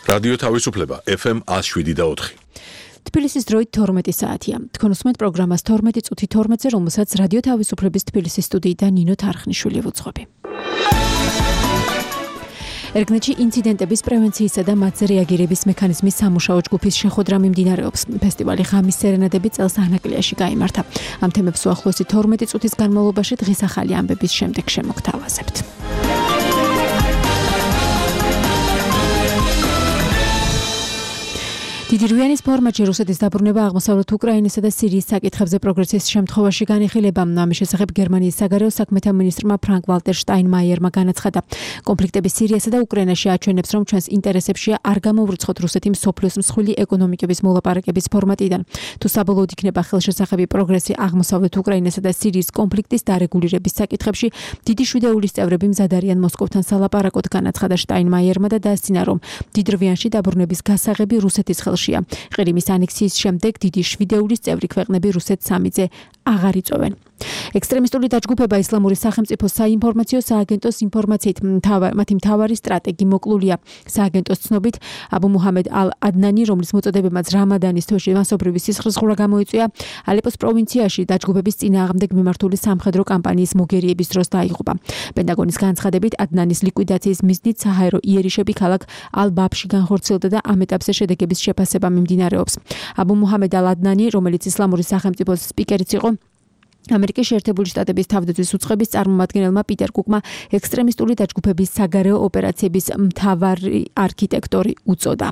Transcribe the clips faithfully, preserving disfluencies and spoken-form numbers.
რადიო თავისუფლება ეფ ემ one oh seven და four. თბილისის დროით თორმეტი საათია. თქვენ უსმენთ პროგრამას თორმეტი წუთი თორმეტზე, რომელსაც რადიო თავისუფლების თბილისის სტუდიიდან ნინო თარხნიშვილი ვუძღვები. ერგნეთში ინციდენტების პრევენციისა და მათზე რეაგირების მექანიზმის სამუშაო ჯგუფის შეხვედრა მიმდინარეობს. ფესტივალი ღამის სერენადები წელს ანაკლიაში გაიმართა. ამ თემებს უახლოესი თორმეტი წუთის განმავლობაში დღის ახალი ამბების შემდეგ შემოგთავაზებთ. დიდი რვიანის ფორმატში რუსეთის დაბრუნება აღმოსავლეთ უკრაინასა და სირიის საკითხებზე პროგრესის შემთხვევაში განიხილება. ამის შესახებ გერმანიის საგარეო საქმეთა მინისტრმა ფრანკ ვალტერ შტაინმაიერმა განაცხადა. კონფლიქტები სირიასა და უკრაინაში აჩვენებს, რომ ჩვენს ინტერესებშია არ გამოვრიცხოთ რუსეთი მსოფლიოს მსხვილი ეკონომიკების მოლაპარაკების ფორმატიდან. თუ საბოლოოდ იქნება ხელშესახები პროგრესი აღმოსავლეთ უკრაინასა და სირიის კონფლიქტის დარეგულირების საკითხებში, დიდი შვიდეულის წევრები მზად არიან მოსკოვთან სალაპარაკოდ, განაცხადა შტაინმაიერმა და დაასწინა, რომ დიდ რვიანში დაბრუნების გასაღები რუსეთის ხელშია. ყირიმის ანექსიის შემდეგ დიდი შვიდეულის წევრი ქვეყნები რუსეთს სამიძე აღარ იწვევენ. ექსტრემისტული დაჯგუფება ისლამური სახელმწიფოს საინფორმაციო სააგენტოს ინფორმაციით მათი მთავარი სტრატეგი მოკლულია. სააგენტოს ცნობით აბუ მუჰამედ ალ-ადნანი, რომლის მოწოდებებმაც რამადანის თვეში მასობრივი სისხლისღვრა გამოიწვია, ალეპოს პროვინციაში დაჯგუფების წინააღმდეგ მიმართული სამხედრო კამპანიის მოგერიების დროს დაიღუპა. პენტაგონის განცხადებით, ადნანის ლიკვიდაციის მიზნით საჰაერო იერიშები ქალაქ ალ-ბაბში განხორციელდა და ამ ეტაპზე შედეგების შეფასება მიმდინარეობს. აბუ მუჰამედ ალ-ადნანი, რომელიც ისლამური სახელმწიფოს სპიკერიც იყო, ამერიკის შეერთებული შტატების თავდაცვის უწყების წარმომადგენელმა პიტერ კუკმა ექსტრემისტული დაჯგუფების საგარეო ოპერაციების მთავარი არქიტექტორი უწოდა.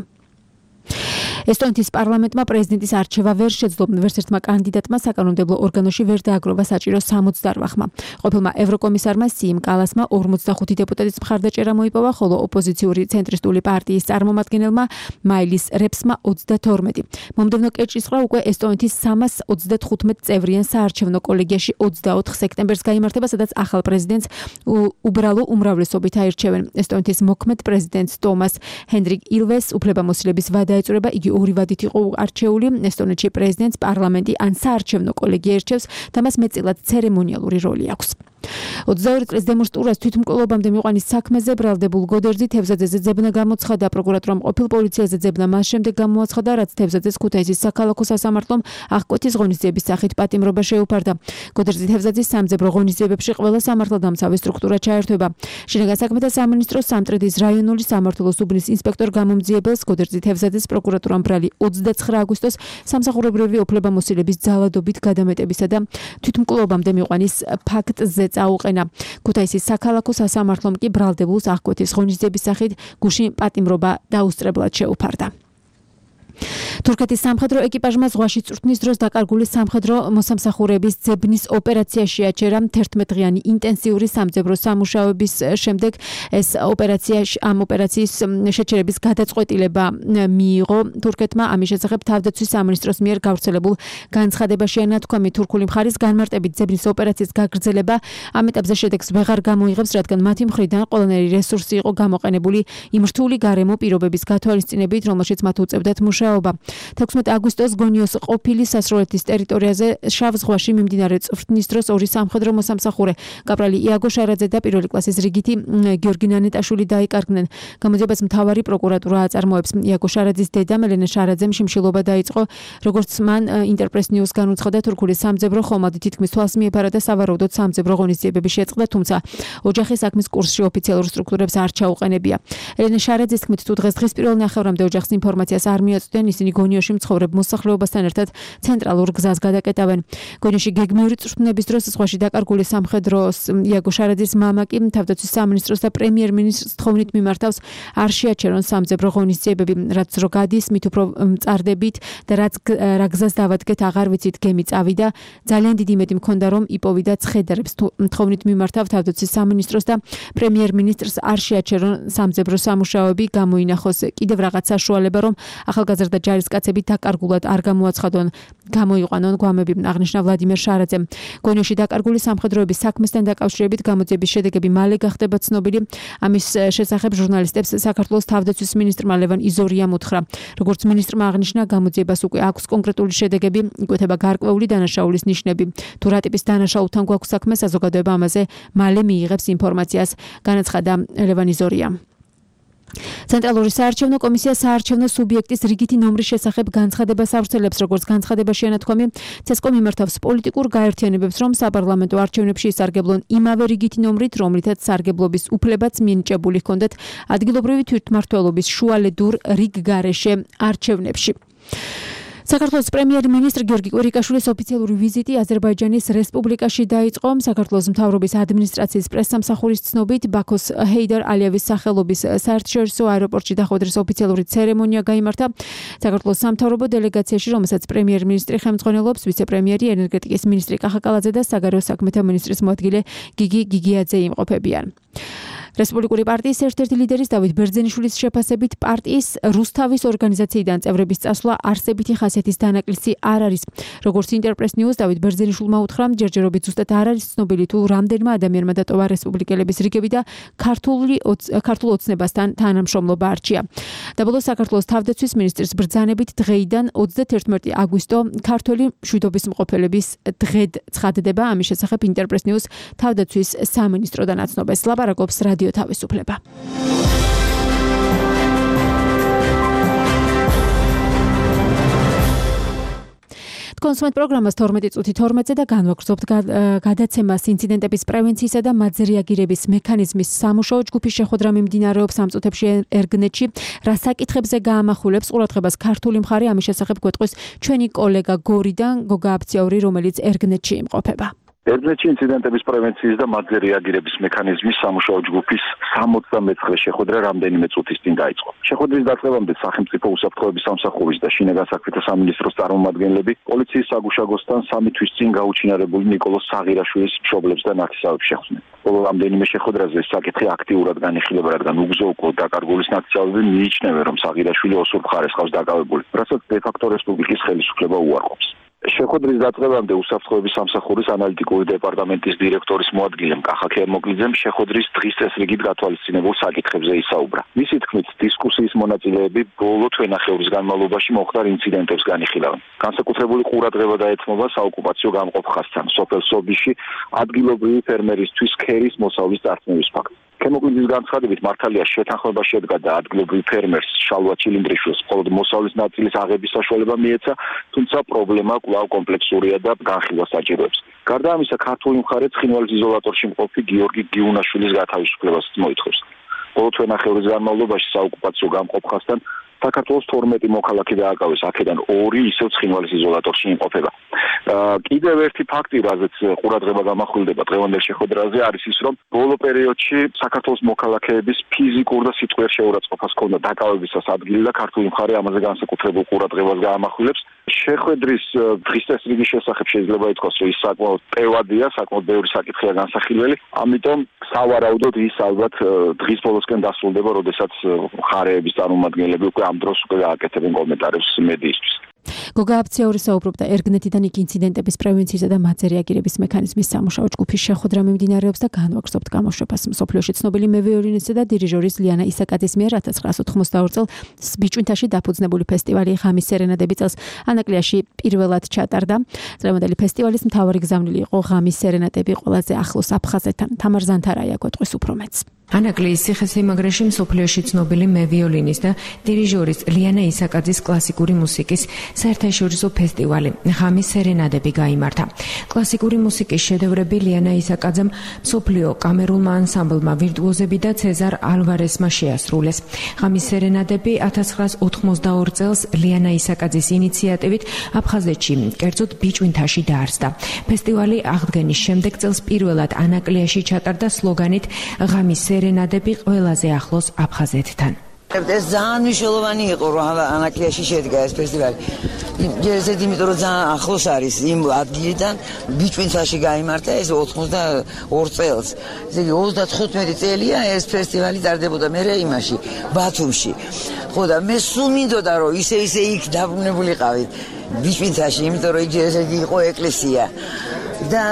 ესტონეთის პარლამენტმა პრეზიდენტის არჩევა ვერ შეძლო. ვერც ერთმა კანდიდატმა საკანონმდებლო ორგანოში ვერ დააგროვა საჭირო სამოცდაოთხ ხმა. ყოფილმა ევროკომისარმა სიიმ კალასმა ორმოცდახუთი დეპუტატის მხარდაჭერა მოიპოვა, ხოლო ოპოზიციური ცენტრისტული პარტიის წარმომადგენელმა მაილის რეპსმა ოცდათორმეტი. მომდევნო კეჭისყრა უკვე ესტონეთის სამას ოცდათხუთმეტ წევრიან საარჩევნო კოლეგიაში ოცდაოთხ სექტემბერს გაიმართება, სადაც ახალ პრეზიდენტს უბრალო უმრავლესობით აირჩევენ. ესტონეთის მოქმედ პრეზიდენტს ტომას ჰენდრიკ ილვეს უფლებამოსილების ვადა ეწურება. იგი ორი ვადით იყო არჩეული. ესტონეთში პრეზიდენტს პარლამენტი ან საარჩევნო კოლეგია ერჩევს და მას მეტწილად ცერემონიალური როლი აქვს. ოცდაორი წლის დემოს ტურას თვითმკვლელობამდე მიყვანის საქმეზე ბრალდებულ გოდერძი თევზაძეზე ძებნა გამოცხადა. პროკურატურამ ყოფილ პოლიციაზე ძებნა მას შემდეგ გამოაცხადა, რაც თევზაძეს ქუთაისის საქალაქო სასამართლომ აღკვეთის ღონისძიების სახით პატიმრობა შეუფარდა. გოდერძი თევზაძის სამძებრო ღონისძიებებში ყველა სამართალდამცავი სტრუქტურა ჩაერთვება. შინაგან საქმეთა სამინისტროს სამტრედის რაიონული სამმართველოს უბნის ინსპექტორ გამომძიებელს გოდერძი თევზაძეს პროკურატურამ ბრალი ოცდაცხრა აგვისტოს სამსახურებრივი უფლებამოსილების ძალადობით გადამეტებისა და თვითმკვლელობამდე მიყვანის ფაქტზე წაუყენა. ქუთაისის საქალაქო სასამართლომ კი ბრალდებულს აღკვეთის ღონისძიების სახით გუშინ პატიმრობა დაუსწრებლად შეუფარდა. თურქეთის სამხედრო ეკიპაჟმა ზღვაში წვრთნის დროს დაკარგული სამხედრო მოსამსახურების ძებნის ოპერაციაში აჩერა. თერთმეტდღიანი ინტენსიური სამძებრო სამუშაოების შემდეგ ეს ოპერაცია ამ ოპერაციის შეჩერების გადაწყვეტილება მიიღო თურქეთმა. ამის შესახებ თავდაცვის სამინისტროს მიერ გავრცელებულ განცხადებაში ანათქვამი თურქული მხარის განმარტებით ძებნის ოპერაციის გაგრძელება ამ ეტაპზე შედეგს ვეღარ გამოიღებს, რადგან მათი მხრიდან ყველანაირი რესურსი იყო გამოყენებული იმ რთული გარემო პირობების გათვალისწინებით, რომელშიც მათ უწევდათ მუშაობა. თექვსმეტი აგვისტოს გონიოს ყოფილი სასროლეთის ტერიტორიაზე შავ ზღვაში მიმდინარე წვრთნის დროს ორი სამხედრო მოსამსახურე, კაპრალი იაგო შარაძე და პირველი კლასის რიგითი გიორგი ნანეტაშვილი დაიკარგნენ. გამოძიებას მთავარი პროკურატურა აწარმოებს. იაგო შარაძის დედამ ელენე შარაძემ შიმშილობა დაიწყო, როგორც მან ინტერპრეს ნიუს განუცხადა, თურქული სამძებრო ხომალდი თითქმის თვალს მიეფარა და სავარაუდოდ სამძებრო ღონისძიებები შეწყდა, თუმცა ოჯახი საქმის კურსში ოფიციალურ სტრუქტურებს არ ჩაუყენებია. ელენე შარაძის თქმით, თუ დღეს-დღეს პირველ ნახევრამდე ოჯახს ინფორმაციას არ მიაწვდიან, ისინი გონიოში მცხოვრებ მოსახლეობასთან ერთად ცენტრალურ გზას გადაკეტავენ. გონიოში გეგმიური წვრთნების დროს ზღვაში დაკარგული სამხედროს იაგო შარაძის მამა კი თავდაცვის სამინისტროს და პრემიერ-მინისტრს თხოვნით მიმართავს, არ შეაჩერონ სამძებრო ღონისძიებები, რაც რო გადის, მით უფრო მწარდებით და რაც რა გზას დავადგეთ, აღარ ვიცით, გემი წავიდა. ძალიან დიდი იმედი მქონდა, რომ იპოვიდა ცხედრებს. თხოვნით მიმართავ თავდაცვის სამინისტროს და პრემიერ-მინისტრს არ შეაჩერონ სამძებრო სამუშაოები, გამოინახოს კიდევ რაღაც საშუალება, რომ ახალგაზრდა ჯარისკაცები დაკარგულად არ გამოაცხადონ, გამოიყვანონ გვამები, აღნიშნა ვლადიმერ შარაძემ. გონიოში დაკარგული სამხედროების საქმესთან დაკავშირებით გამოძიების შედეგები მალე გახდება ცნობილი. ამის შესახებ ჟურნალისტებს საქართველოს თავდაცვის მინისტრმა ლევან იზორიამ უთხრა. როგორც მინისტრმა აღნიშნა, გამოძიებას უკვე აქვს კონკრეტული შედეგები, იკვეთება გარკვეული დანაშაულის ნიშნები. თუ რა ტიპის დანაშაულთან გვაქვს საქმე, საზოგადოება ამაზე მალე მიიღებს ინფორმაციას, განაცხადა ლევან იზორიამ. ცენტრალური საარჩევნო კომისია საარჩევნო სუბიექტის რიგითი ნომრის შესახებ განცხადებას ავრცელებს, როგორც განცხადებაში ანათქვამი, ცესკომ იმართავს პოლიტიკურ გაერთიანებებს, რომ საპარლამენტო არჩევნებში ისარგებლონ იმავე რიგითი ნომრით, რომლითაც სარგებლობის უფლებაც მინიჭებული ჰქონდათ ადგილობრივი თვითმმართველობის შუალედურ რიგგარეშე არჩევნებში. საქართველოს პრემიერ-მინისტრ გიორგი კვირიკაშვილის ოფიციალური ვიზიტი აზერბაიჯანის რესპუბლიკაში დაიწყო. საქართველოს მთავრობის ადმინისტრაციის პრესსამსახურის ცნობით, ბაქოს ჰეიდარ ალიევის სახელობის საერთაშორისო აეროპორტში დახვედრის ოფიციალური ცერემონია გაიმართა. საქართველოს სამთავრობო დელეგაციაში, რომელსაც პრემიერ-მინისტრი ხელმძღვანელობს, ვიცე-პრემიერი, ენერგეტიკის მინისტრი კახა კალაძე და საგარეო საქმეთა მინისტრის მოადგილე გიგი გიგიაძე იმყოფებიან. რესპუბლიკური პარტიის ერთ-ერთი ლიდერის დავით ბერძენიშვილის შეფასებით პარტიის რუსთავის ორგანიზაციიდან წევრების წასვლა არსებითი ხასიათის დანაკლისი არ არის. როგორც ინტერპრეს ნიუს დავით ბერძენიშვილმა უთხრა, ჯერჯერობით ზუსტად არ არის ცნობილი თუ რამდენმა ადამიანმა დატოვა რესპუბლიკელების რიგები და ქართული ქართულ ოცნებასთან თანამშრომლობა არჩია. დაბოლოს საქართველოს თავდაცვის მინისტრის ბრძანებით დღეიდან ოცდაათი აგვისტო ქართველი მშვიდობისმყოფელების დღედ ცხადდება. ამის შესახებ ინტერპრეს ნიუს თავდაცვის სამინისტროდან აცნობას. ლაპარაკობს რადიო თავისუფლება. კონსუმენტ პროგრამას თორმეტი წუთი თორმეტზე და განვაგრძობთ გადაცემას ინციდენტების პრევენციისა და მათზე რეაგირების მექანიზმის სამუშაო ჯგუფის შეხვედრა მიმდინარეობს ამ წუთებში ერგნეთში. რა საკითხებზე გაამახვილებს ყურადღებას ქართული მხარე, ამის შესახებ გვეტყვის ჩვენი კოლეგა გორიდან გოგა აფციური, რომელიც ერგნეთში იმყოფება. ერგნეთში ინციდენტების პრევენციის და მათზე რეაგირების მექანიზმის სამუშაო ჯგუფის სამოცდამეცხრე შეხვედრა რამდენიმე წუთის წინ დაიწყო. შეხვედრის დაწყებამდე სახელმწიფო უსაფრთხოების სამსახურის და შინაგან საქმეთა სამინისტროს წარმომადგენლები პოლიციის საგუშაგოსთან სამი თვის წინ გაუჩინარებული ნიკოლოზ საღირაშვილის მშობლებს და ნათესავებს შეხვდნენ. ბოლო რამდენიმე შეხვედრაზე საკითხი აქტიურად განიხილება, რადგან უგზო-უკვლოდ დაკარგულის ნათესავები მიიჩნევენ, რომ საღირაშვილი ოსურ მხარეს ყავს დაკავებული, რასაც დე-ფაქტო რესპუბლიკის ხელისუფლება უარყოფს. შეხვედრის დაწყებამდე უსაფრთხოების სამსახურის ანალიტიკური დეპარტამენტის დირექტორის მოადგილემ კახა ქერმოკლიძემ შეხვედრის დღის წესრიგით გათვალისწინებულ საკითხებზე ისაუბრა. მისი თქმით, დისკუსიის მონაწილეები ბოლო თვენახევრის განმავლობაში მოხდარ ინციდენტებს განიხილავენ. განსაკუთრებული ყურადღება დაეთმობა საოკუპაციო გამყოფ ხაზთან, სოფელ სობიში ადგილობრივი ფერმერისთვის ქერის მოსავლის წარწმევის ფაქტი. ქერმოკლიძის განცხადებით, მართალია შეთანხმება შედგა და ადგილობრივ ფერმერს შალვა ჩილინდრიშვილს მხოლოდ მოსავლის ნაწილის აღების საშუალება მიეცა, თუმცა პრობლემა კვლავ კომპლექსურია და განხილვას საჭიროებს. გარდა ამისა, ქართული მხარე ცხინვალის იზოლატორში მყოფი გიორგი გიუნაშვილის გათავისუფლებასაც მოითხოვს. ბოლო თვენახევრის განმავლობაში საოკუპაციო გამყოფ ხაზთან საქართველოს თორმეტი მოქალაქე დააკავეს, აქედან ორი ისევ ცხინვალის იზოლატორში იმყოფება. კიდევ ერთი ფაქტი, რაზეც ყურადღება გამახვილდება დღევანდელ შეხვედრაზე, არის ის, რომ ბოლო პერიოდში საქართველოს მოქალაქეების ფიზიკურ და სიტყვიერ შეურაცხყოფას ჰქონდა დაკავებისას ადგილი და ქართული მხარე ამაზე განსაკუთრებულ ყურადღებას გაამახვილებს. შეხვედრის დღის წესრიგის შესახებ შეიძლება ითქვას, რომ ის საკმაოდ ტევადია, საკმაოდ ბევრი საკითხია განსახილველი, ამიტომ სავარაუდოდ ის ალბათ დღის ბოლოსკენ დასრულდება, როდესაც მხარეების წარმომადგენლები უკვე ამ დროს უკვე გააკეთებენ კომენტარებს მედიისთვის. გოგა აფციური საუბრობდა ერგნეთიდან იქ ინციდენტების პრევენციისა და მათზე რეაგირების მექანიზმის სამუშაო ჯგუფის შეხვედრა მიმდინარეობს და განვაგრძობთ გამოშვებას. მსოფლიოში ცნობილი მევიოლინისტი და დირიჟორის ლიანა ისაკაძის მიერ ათას ცხრაასი ოთხმოცდაორი წელს ბიჭვინთაში დაფუძნებული ფესტივალი ღამის სერენადები წელს ანაკლიაში პირველად ჩატარდა. დღევანდელი ფესტივალის მთავარი გზავნილი იყო ღამის სერენადები ყველაზე ახლოს აფხაზეთთან. თამარ ზანთარაია გვეტყვის უფრო მეტს. ანაკლიის ციხესიმაგრეში მსოფლიოში ცნობილი მევიოლინის და დირიჟორის ლიანა ისაკაძის კლასიკური მუსიკის საერთაშორისო ფესტივალი ღამის სერენადები გაიმართა. კლასიკური მუსიკის შედევრები ლიანა ისაკაძემ, მსოფლიო კამერულმა ანსამბლმა ვირტუოზები და ცეზარ ალვარესმა შეასრულეს. ღამის სერენადები ათას ცხრაასი ოთხმოცდაორი წელს ლიანა ისაკაძის ინიციატივით აფხაზეთში, კერძოდ ბიჭვინთაში დაარსდა. ფესტივალი აღდგენის შემდეგ წელს პირველად ანაკლიაში ჩატარდა სლოგანით ღამის სერენადები ყველაზე ახლოს აფხაზეთთან. ეს ძალიან მნიშვნელოვანი იყო, რომ ანაკლიაში შედგა ეს ფესტივალი. ჯერჯერობით იმიტომ, რომ ძალიან ახლოს არის იმ ადგილიდან, ბიჭვინთაში გაიმართა ეს ოთხმოცდაორი წელს. ესე იგი ოცდათხუთმეტი წელია ეს ფესტივალი ტარდებოდა მე იმაში, ბათუმში. ხო და მე სულ მინდოდა, რომ ისე ისე იქ დაბრუნებულიყავით ბიჭვინთაში, იმიტომ რომ ჯერჯერობით იყო ეკლესია. და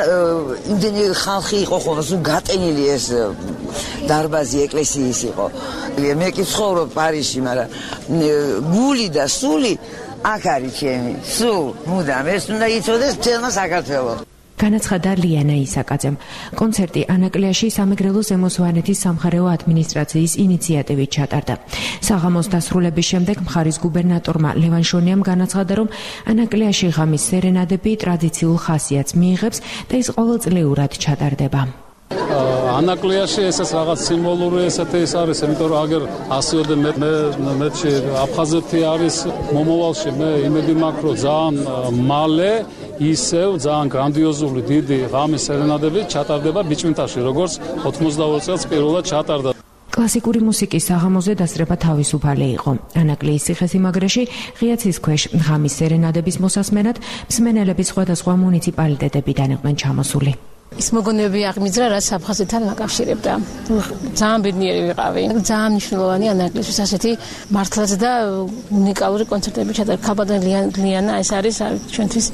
იმდენი ხალხი იყო ხოლმე, სულ გატენილი ეს დარბაზი ეკლესიის იყო. მე კი ცხოვრობ პარიზში, მაგრამ გული და სული აქ არის ჩემი. სულ მუდამ ეს უნდა იცოდეს მთელმა საქართველოს. განაცხადა ლიანა ისაკაძემ. კონცერტი ანაკლიაში სამეგრელო ზემოსვანეთის სამხარეო ადმინისტრაციის ინიციატივით ჩატარდა. საღამოს დასრულების შემდეგ მხარის გუბერნატორმა ლევან შონიამ განაცხადა, რომ ანაკლიაში ღამის სერენადები ტრადიციულ ხასიათს მიიღებს და ის ყოველწლიურად ჩატარდება. ანაკლიაში ესეც რაღაც სიმბოლური ესეთი ის არის, იმიტომ რომ აგერ ასიოდე მე მეჩი აფხაზეთი არის მომავალში, მე იმედი მაქვს, რომ ძალიან მალე ისევ ძალიან გრანდიოზული დიდი ღამის სერენადები ჩატარდება ბიჭვინთაში, როგორც ოცდაოთხ წელს პირველად ჩატარდა. კლასიკური მუსიკის საღამოზე დასწრება თავისუფალი იყო. ანაკლიის ციხესიმაგრეში ღია ცის ქვეშ ღამის სერენადების მოსასმენად მსმენელები სხვადასხვა მუნიციპალიტეტებიდან იყვნენ ჩამოსული. ის მოგონებები აღმიძრა, რაც აფხაზეთთან აკავშირებდა. ძალიან ბედნიერი ვიყავი. ძალიან მნიშვნელოვანი ანაკლისთვის ასეთი მართლაც და უნიკალური კონცერტები ჩატარდა. ქალბატონ ლიანა ეს არის ჩვენთვის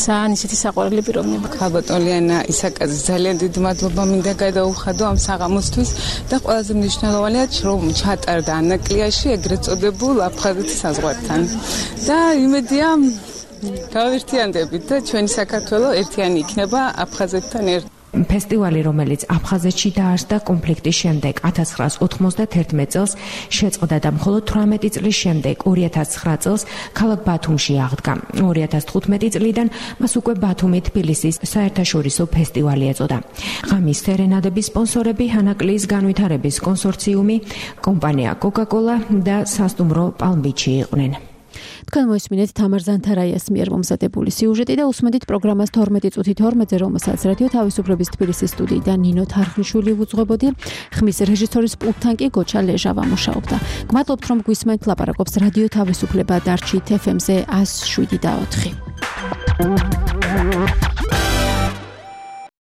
ძალიან ისეთი საყვარელი პიროვნება. ქალბატონ ლიანა ისაკაძე ძალიან დიდი მადლობა მინდა გადაუხადო ამ საღამოსთვის და ყველაზე მნიშვნელოვანია, რომ ჩატარდა ანაკლიაში ეგრეთ წოდებულ აფხაზეთის საზღვართან. და იმედია გავერთიანდებით და ჩვენი საქართველო ერთიანი იქნება აფხაზეთთან ერთ. ფესტივალი, რომელიც აფხაზეთში დაარსდა კონფლიქტის შემდეგ ათას ცხრაას ოცდაათმეტ წელს შეწყდა და მხოლოდ თვრამეტი წლის შემდეგ ორი ათას ცხრა წელს ქალაქ ბათუმში აღდგა. ორი ათას თხუთმეტი წლიდან მას უკვე ბათუმი თბილისის საერთაშორისო ფესტივალი ეწოდა. ღამის სერენადების სპონსორები ანაკლიის განვითარების კონსორციუმი, კომპანია კოკა-კოლა და სასტუმრო პალმბიჩი იყვნენ. თქვენ მოისმინეთ თამარ ზანთარაიას მიერ მომზადებული სიუჟეტი და უსმენთ პროგრამას თორმეტი წუთით ორმოძე, რომელსაც რადიო თავისუფლების თბილისის სტუდიიდან ნინო თარხნიშვილი უძღვებოდი. ხმის რეჟისორის პულტთან კი გოჩა ლეჟავა მუშაობდა. გმადლობთ, რომ გვისმენთ, ლაპარაკობს რადიო თავისუფლება დარჩით ეფ ემ-ზე ას შვიდი და ოთხი.